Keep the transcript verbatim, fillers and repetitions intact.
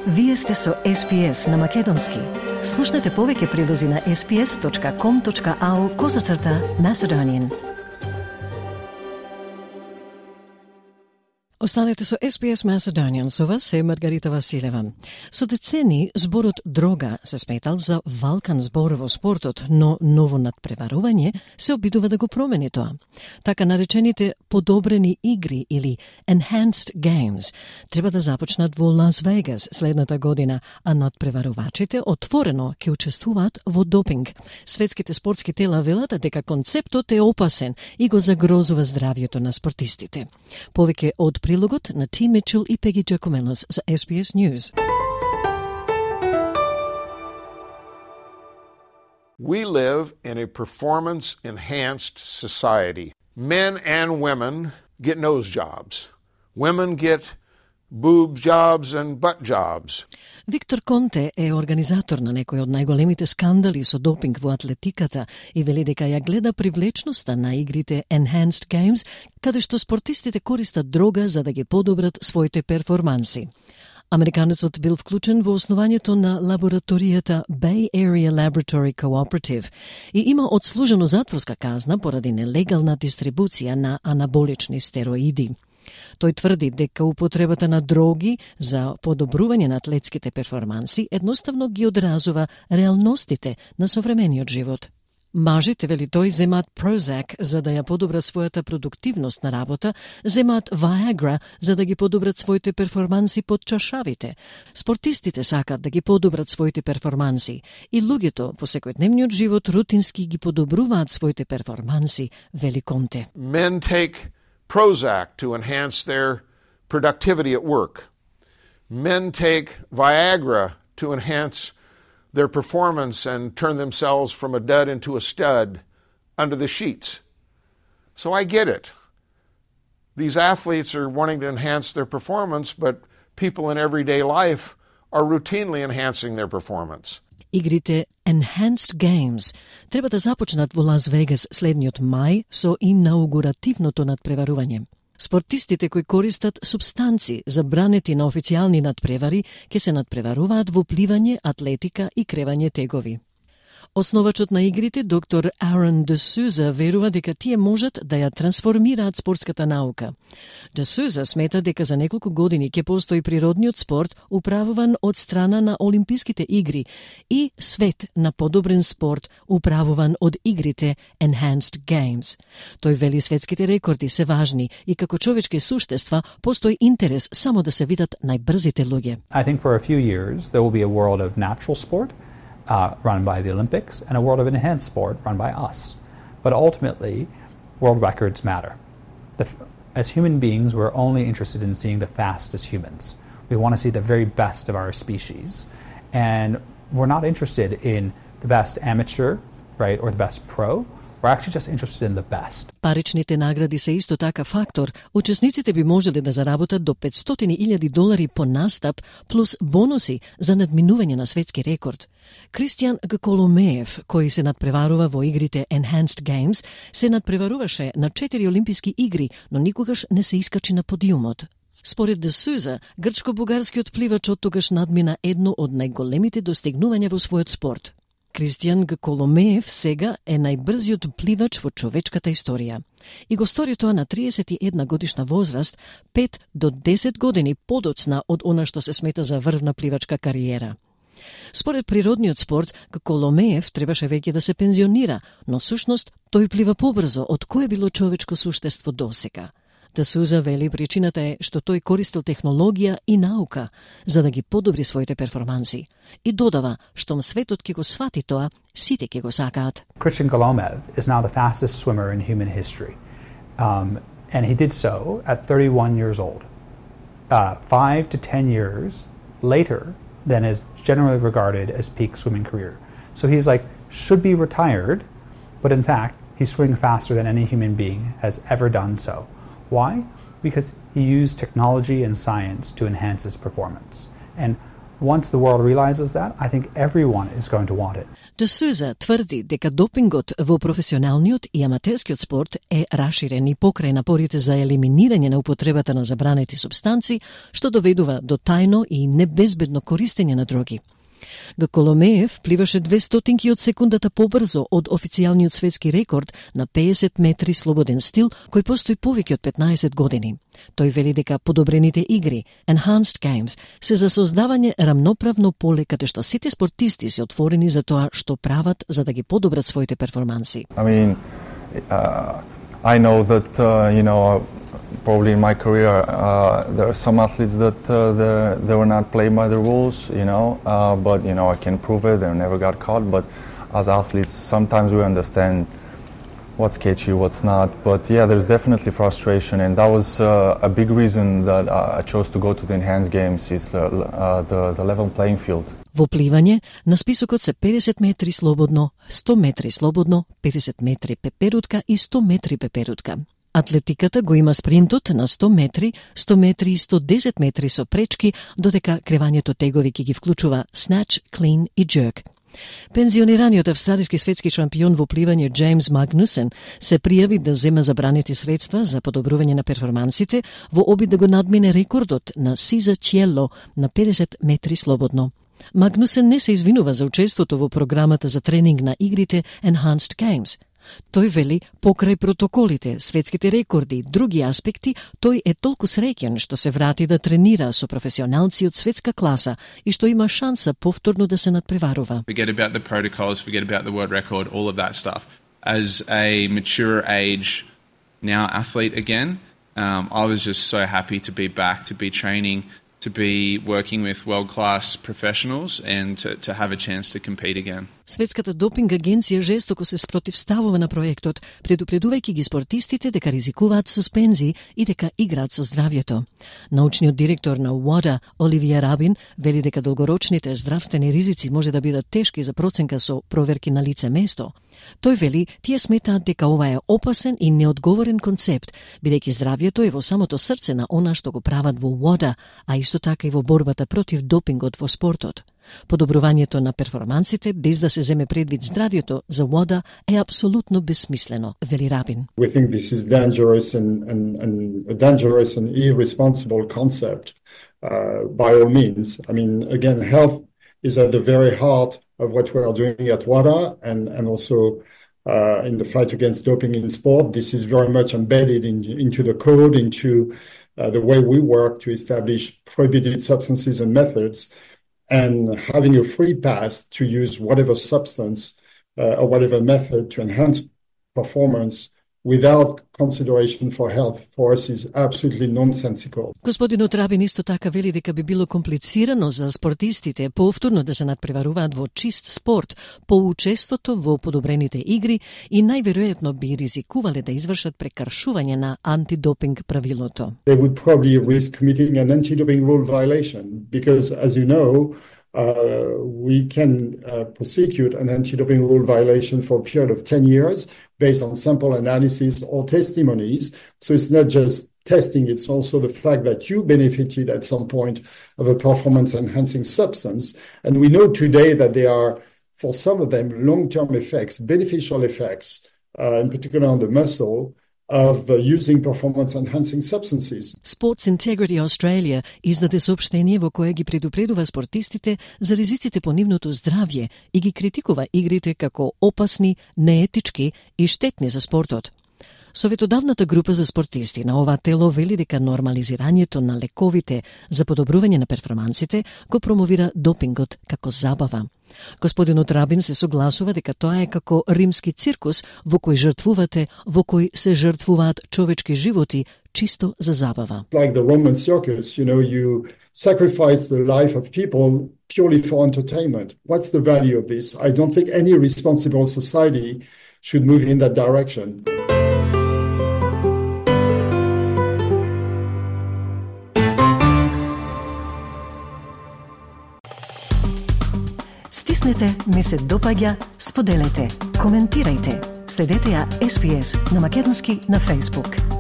Вие сте со Ес Би Ес на Македонски. Слушнете повеќе прилози на ес би ес точка ком точка ау козацрта Macedonian. Останете со Ес Би Ес Macedonian, со вас е Маргарита Василева. Со децени зборот дрога се сметал за валкан збор во спортот, но ново надпреварување се обидува да го промени тоа. Така наречените подобрени игри или enhanced games треба да започнат во Лас Вегас следната година, а надпреварувачите отворено ќе учествуваат во допинг. Светските спортски тела велат дека концептот е опасен и го загрозува здравјето на спортистите. Повеќе од прилогот на Ти Мичел и Пеги Джакоменос за Ес Би Ес News. We live in a performance-enhanced society. Men and women get nose jobs. Women get boob jobs and butt jobs. Виктор Конте е организатор на некои од најголемите скандали со допинг во атлетиката и вели дека ја гледа привлечноста на игрите Enhanced Games, каде што спортистите користат дрога за да ги подобрат своите перформанси. Американецот бил вклучен во основањето на лабораторијата Bay Area Laboratory Cooperative и има одслужено затворска казна поради нелегална дистрибуција на анаболични стероиди. Тој тврди дека употребата на дроги за подобрување на атлетските перформанси едноставно ги одразува реалностите на современиот живот. Мажите, вели тој, земаат Prozac за да ја подобра својата продуктивност на работа, земаат Viagra за да ги подобрат своите перформанси под чашавите. Спортистите сакат да ги подобрат своите перформанси и луѓето по секојдневниот живот рутински ги подобруваат своите перформанси, вели Конте. Men take Prozac to enhance their productivity at work. Men take Viagra to enhance their performance and turn themselves from a dud into a stud under the sheets. So I get it. These athletes are wanting to enhance their performance, but people in everyday life are routinely enhancing their performance. Игрите Enhanced Games треба да започнат во Лас Вегас следниот мај со инаугуративното надпреварување. Спортистите кои користат субстанци забранети на официјални надпревари ќе се надпреваруваат во пливање, атлетика и кревање тегови. Основачот на игрите, доктор Aaron D'Souza, верува дека тие можат да ја трансформираат спортската наука. D'Souza смета дека за неколку години ќе постои природниот спорт управуван од страна на Олимписките игри и свет на подобрен спорт управуван од игрите Enhanced Games. Тој вели светските рекорди се важни и како човечки суштества постои интерес само да се видат најбрзите луѓе. I think for a few years there will be a world of natural sport Uh, run by the Olympics, and a world of enhanced sport run by us. But ultimately, world records matter. The, as human beings, we're only interested in seeing the fastest humans. We want to see the very best of our species. And we're not interested in the best amateur, right, or the best pro. We're actually just interested in the best. Паричните награди се исто така фактор. Учесниците би можеле да заработат до петстотини илјади долари по настап, плюс бонуси за надминување на светски рекорд. Кристијан Гколомеев, кој се надпреварува во игрите Enhanced Games, се надпреваруваше на четири олимписки игри, но никогаш не се искачи на подиумот. Според D'Souza, грчко-бугарскиот пливач оттогаш надмина едно од најголемите достигнувања во својот спорт. Кристијан Гколомеев сега е најбрзиот пливач во човечката историја. И го стори тоа на триесет и една годишна возраст, пет до десет години подоцна од она што се смета за врвна пливачка кариера. Според природниот спорт, Гколомеев требаше веќе да се пензионира, но сушност тој плива побрзо од кое било човечко суштество досега. D'Souza вели причината е што тој користил технологија и наука за да ги подобри своите перформанси. И додава, штом светот ќе го свати тоа, сите ќе го сакаат. Christian Golomev is now the fastest swimmer in human history. Um, and he did so at thirty-one years old. Uh, five to ten years later than is generally regarded as peak swimming career. So he's like, should be retired, but in fact, he's swimming faster than any human being has ever done so. Why? Because he used technology and science to enhance his performance. And Once the world realizes that, I think everyone is going to want it. De Souza тврди дека допингот во професионалниот и аматерскиот спорт е раширен и покрај напорите за елиминирање на употребата на забранети супстанци, што доведува до тајно и небезбедно користење на дроги. Гаколомеев пливаше две стотинки од секундата побрзо од официјалниот светски рекорд на педесет метри слободен стил, кој постои повеќе од петнаесет години. Тој вели дека подобрените игри, Enhanced Games, се за создавање рамноправно поле каде што сите спортисти се отворени за тоа што прават за да ги подобрат своите перформанси. I mean, uh, I know that, uh, you know, probably in my career, uh, there are some athletes that uh, they were not playing by the rules, you know, uh, but, you know, I can prove it, they never got caught, but as athletes, sometimes we understand what's sketchy, what's not, but yeah, there's definitely frustration, and that was uh, a big reason that uh, I chose to go to the Enhanced Games, is uh, uh, the, the level playing field. Во пливање, на списокот се педесет метри слободно, сто метри слободно, педесет метри пеперутка и сто метри пеперутка. Атлетиката го има спринтот на сто метри, сто метри и сто десет метри со пречки, додека кревањето тегови ќе ги вклучува snatch, clean и jerk. Пензионираниот австралиски светски шампион во пливање Джеймс Магнусен се пријави да зема забранети средства за подобрување на перформансите во обид да го надмине рекордот на Сиза Чиело на педесет метри слободно. Магнусен не се извинува за учеството во програмата за тренинг на игрите Enhanced Games. Тој вели, покрај протоколите, светските рекорди и други аспекти, тој е толку среќен што се врати да тренира со професионалци од светска класа и што има шанса повторно да се надпреварува. Forget about the protocols, forget about the world record, all of that stuff. As a mature age now athlete again, um, I was just so happy to be back, to be training, to be working with world-class professionals and to, to have a chance to compete again. Светската допинг агенција жестоко се спротивставува на проектот, предупредувајќи ги спортистите дека ризикуваат суспензии и дека играат со здравјето. Научниот директор на ВАДА, Оливија Рабин, вели дека долгорочните здравствени ризици може да бидат тешки за проценка со проверки на лице место. Тој вели, тие сметаат дека ова е опасен и неодговорен концепт, бидејќи здравјето е во самото срце на она што го прават во ВАДА, а исто така и во борбата против допингот во спортот. Подобрувањето на перформансите без да се земе предвид здравјето за ВАДА е апсолутно безсмислено, вели Рабин. We think this is dangerous and, and, and a dangerous and irresponsible concept uh, by all means. I mean, again, health is at the very heart of what we are doing at WADA and, and also uh, in the fight against doping in sport. This is very much embedded in, into the code, into uh, the way we work to establish prohibited substances and methods. And having a free pass to use whatever substance uh, or whatever method to enhance performance without consideration for health for us is absolutely nonsensical. Господинот Рабин исто така вели дека би било комплицирано за спортистите повторно да се надпреваруваат во чист спорт по учеството во подобрените игри и најверојатно би ризикувале да извршат прекршување на антидопинг правилото. They would probably risk committing an anti-doping rule violation because, as you know, Uh, we can uh, prosecute an anti-doping rule violation for a period of ten years based on sample analysis or testimonies. So it's not just testing, it's also the fact that you benefited at some point of a performance-enhancing substance. And we know today that there are, for some of them, long-term effects, beneficial effects, uh, in particular on the muscle, of uh, using performance-enhancing substances. Sports Integrity Australia издаде соопштение во кое ги предупредува спортистите за ризиците по нивното здравје и ги критикува игрите како опасни, неетички и штетни за спортот. Советодавната група за спортисти на ова тело вели дека нормализирањето на лековите за подобрување на перформансите го промовира допингот како забава. Господинот Рабин се согласува дека тоа е како римски циркус во кој жртвувате, во кој се жртвуваат човечки животи чисто за забава. Like the Roman circus, you know, you sacrifice the life of people purely for entertainment. What's the value of this? I don't think any responsible society should move in that direction. Стиснете, ми се допаѓа, споделете, коментирајте. Следете ја Ес Би Ес на македонски на Facebook.